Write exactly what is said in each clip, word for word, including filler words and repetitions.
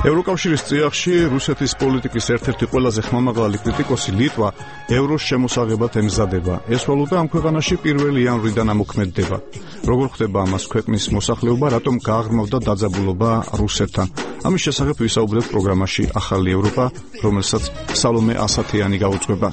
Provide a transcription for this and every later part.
ევროკავშირის წიაღში რუსეთის პოლიტიკის ერთ-ერთი ყველაზე ხმამაღალი კრიტიკოსი ლიტვა ევროს შემოსაღებად ემზადება. ეს ვალუტა ამ ქვეყანაში პირველი იანვრიდან ამოქმედდება. როგორ ხდება ამას ქვეყნის მოსახლეობა, რატომ გააღრმავდა დაძაბულობა რუსეთთან? ამის შესახებ ვისაუბრებთ პროგრამაში ახალი ევროპა, რომელსაც სალომე ასათიანი გაუძღვება.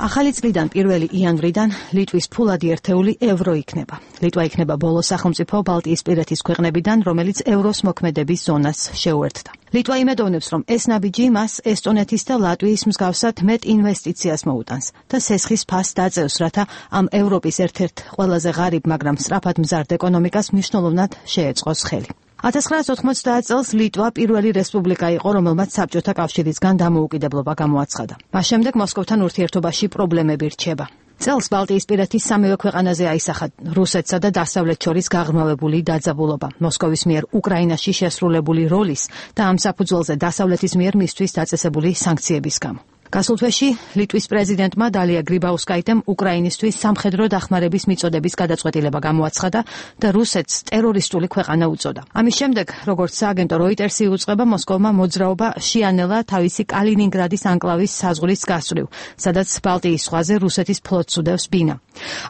ახალი წლიდან პირველი იანვრიდან ლიტვის ფულადი ერთეული ევრო იქნება. ლიტვა იქნება ბოლო სახელმწიფო ბალტიისპირეთის ქვეყნებიდან, რომელიც ევროს მოქმედების ზონას შეუერთდა. ლიტვა იმედოვნებს, რომ ეს ნაბიჯი მას ესტონეთის და ლატვიის მსგავსად მეტ ინვესტიციას მოუტანს და სესხის ფასს დააწევს, რათა ამ ევროპის ერთ-ერთ ყველაზე ღარიბ, მაგრამ სწრაფად მზარდ ეკონომიკას მნიშვნელოვნად შეეწყოს ხელი. ათას ცხრაასი ოთხმოცდაათ წელს ლიტვა პირველი რესპუბლიკა იყო, რომელმაც საბჭოთა კავშირისგან დამოუკიდებლობა გამოაცხადა. მას შემდეგ მოსკოვთან ურთიერთობაში პრობლემები რჩება. წელს ბალტიისპირეთის სამივე ქვეყანაზე აისახა რუსეთსა და დასავლეთს შორის გაღრმავებული დაძაბულობა, მოსკოვის მიერ უკრაინაში შესრულებული როლის და ამ საფუძველზე დასავლეთის მიერ მისთვის დაწესებული სანქციების გამო. გასულ თვეში ლიტვის პრეზიდენტმა დალია გრიბაუსკაიტემ უკრაინისთვის სამხედრო დახმარების მიწოდების გადაწყვეტილება გამოაცხადა და რუსეთს ტერორისტული ქვეყანა უწოდა. ამის შემდეგ, როგორც სააგენტო როიტერსი უწყება, მოსკოვმა მოძრაობა შეანელა თავისი კალინინგრადის ანკლავის საზღვრის გასწვრივ, სადაც ბალტიის ზღვაზე რუსეთის ფლოტს უდევს ბინა.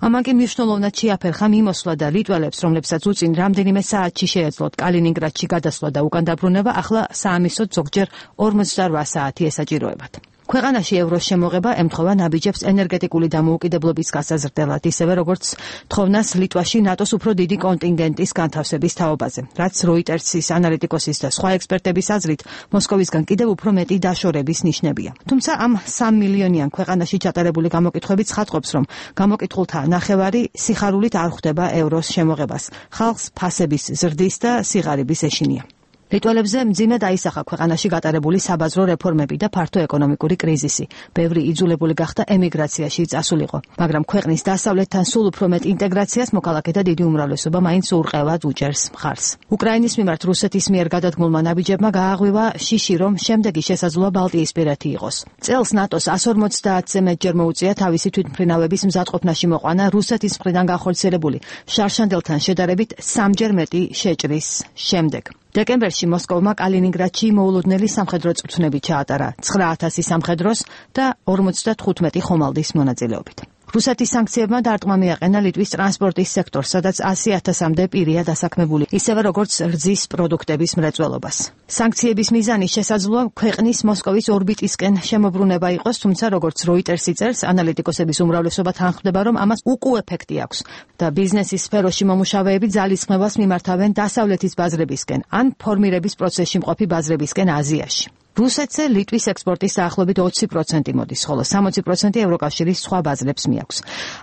ამან კი მნიშვნელოვნად შეაფერხა მიმოსვლა და ლიტველებს, რომლებსაც უწინ რამდენიმე საათში შეეძლოთ კალინინგრადში გადასვლა და უკან დაბრუნება, ახლა საამისოდ ზოგჯერ ორმოცდაოთხ საათი ესაჭიროებათ. ქვეყანაში ევროს შემოღება ემთხვევა ნაბიჯებს ენერგეტიკული დამოუკიდებლობის გასაზრდელად, ისევე როგორც თხოვნას ლიტვაში ნატოს უფრო დიდი კონტინგენტის განთავსების თაობაზე, რაც როიტერსის ანალიტიკოსის და სხვა ექსპერტების აზრით მოსკოვისგან კიდევ უფრო მეტი დაშორების ნიშნებია. თუმცა ამ სამ მილიონიან ქვეყანაში ჩატარებული გამოკითხვები ცხადყოფს, რომ გამოკითხულთა ნახევარი სიხარულით არ ხვდება ევროს შემოღებას. ხალხს ფასების ზრდის და სიღარიბის ეშინია. ლიტველებზე მძიმე დაისახა ქვეყანაში გატარებული საბაზრო რეფორმები და ფართო ეკონომიკური კრიზისი. ბევრი იძულებული გახდა ემიგრაციაში წასულიყო, მაგრამ ქვეყნის დასავლეთთან სულ უფრო მეტ ინტეგრაციას მოქალაქეთა დიდი უმრავლესობა მაინც ურყევად უჭერს მხარს. უკრაინის მიმართ რუსეთის მიერ გადადგმულმა ნაბიჯებმა გააღვივა შიში, რომ შემდეგი შესაძლოა ბალტიისპირეთი იყოს. წელს ნატოს εκατს ორმოცდაათზე მეტჯერ მოუწია თავისი თვითმფრინავების მზადყოფნაში მოყვანა რუსეთის მხრიდან განხორციელებული შარშანდელთან შედარებით სამჯერ მეტი შეჭრის შემდეგ. დეკემბერში მოსკოვმა კალინინგრადში მოულოდნელი სამხედრო წვრთნები ჩაატარა ცხრა ათასი სამხედროს და ორმოცდათხუთმეტი ხომალდის მონაწილეობით. რუსეთის სანქციებმა დარტყმა მიაყენა ლიტვის ტრანსპორტის სექტორს, სადაც ასი ათასამდე პირია დასაქმებული, ისევე როგორც რძის პროდუქტების მრეწველობას. სანქციების მიზანი შესაძლოა ქვეყნის მოსკოვის ორბიტისკენ შემოbrunება იყოს, თუმცა როგორც როიტერსი წერს, ანალიტიკოსების უმრავლესობა თანხმდება, რომ ამას უკუ ეფექტი აქვს და ბიზნესის სფეროში მომუშავეები ძალისხმევას მიმართავენ დასავლეთის ბაზრებისკენ ან ფორმირების პროცესში მყოფი ბაზრებისკენ აზიაში. რუსეთზე ლიტვის ექსპორტის დაახლოებით ოცი პროცენტი მოდის, ხოლო სამოცი პროცენტი ევროკავშირის სხვა ბაზრებს მიაქვს.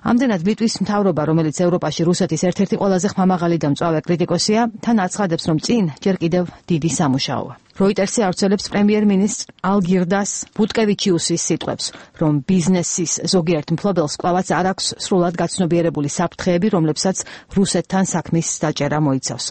ამდენად ლიტვის მთავრობა, რომელიც ევროპაში რუსეთის ერთ-ერთი ყველაზე ხმამაღალი და მწვავე კრიტიკოსია, თან აცხადებს, რომ წინ ჯერ კიდევ დიდი სამუშაოა. როიტერსი ავრცელებს პრემიერ-მინისტრ ალგირდას ბუტკევიჩიუსის სიტყვებს, რომ ბიზნესის ზოგიერთ მფლობელს კვლავაც არ აქვს სრულად გაცნობიერებული საფრთხეები, რომლებსაც რუსეთთან საქმის დაჭერა მოიცავს.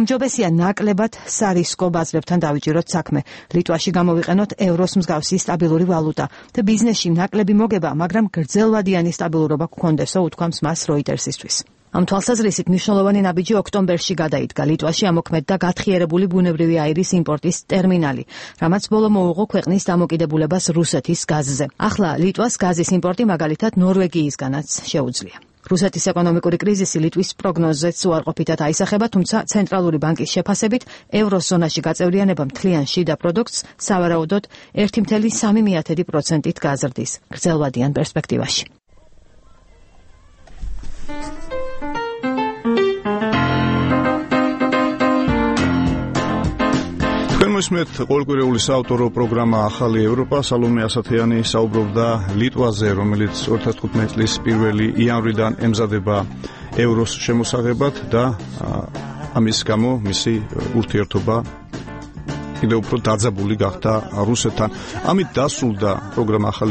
უმჯობესია ნაკლებად სარისკო ბაზრებთან დავიჭიროთ საქმე, ლიტვაში გამოვიყენოთ ევროს მსგავსი სტაბილური ვალუტა და ბიზნესში ნაკლები მოგება, მაგრამ გრძელვადიანი სტაბილურობა გქონდესო, უთქვამს მას როიტერსისთვის. ამ თვალსაზრისით მნიშვნელოვანი ნაბიჯი ოქტომბერში გადაიდგა. ლიტვაში ამოქმედდა გათხიერებული ბუნებრივი აირის იმპორტის ტერმინალი, რამაც ბოლო მოუღო ქვეყნის დამოკიდებულებას რუსეთის გაზზე. ახლა ლიტვას გაზის იმპორტი მაგალითად ნორვეგიისგანაც შეუძლია. რუსეთის ეკონომიკური კრიზისი ლიტვის პროგნოზებს უარყოფითად აისახება, თუმცა ცენტრალური ბანკის შეფასებით ევროზონაში გაწევრიანება მთლიან შიდა პროდუქტს სავარაუდოდ ერთი წუთი სამი პროცენტით გაზრდის გრძელვადიან პერსპექტივაში. მოსმეთ ყოველკვირეული საავტორო პროგრამა ახალი ევროპა. სალომე ასათიანი საუბრობდა ლიტვაზე, რომელიც ორი ათას თხუთმეტი წლის პირველი იანვრიდან ემზადება ევროს შემოსაღებად და ამის გამო მისი ურთიერთობა კიდევ უფრო დაძაბული გახდა რუსეთთან. ამით დასრულდა პროგრამა ახალი